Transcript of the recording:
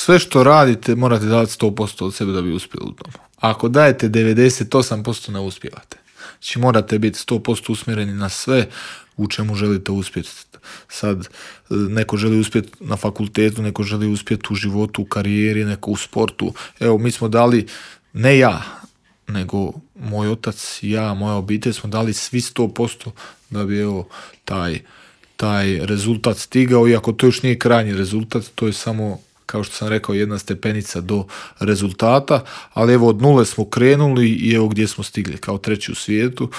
sve što radite morate davati 100% od sebe da bi uspjeli u tom. Ako dajete 98% ne uspijevate. Znači morate biti 100% usmjereni na sve u čemu želite uspjeti. Sad neko želi uspjeti na fakultetu, neko želi uspjeti u životu, u karijeri, neko u sportu. Evo, mi smo dali, ne ja, nego moj otac, ja, moja obitelj smo dali svi 100% da bi taj rezultat stigao, iako to još nije krajnji rezultat, to je samo, kao što sam rekao, jedna stepenica do rezultata, ali evo od nule smo krenuli i evo gdje smo stigli, kao treći u svijetu.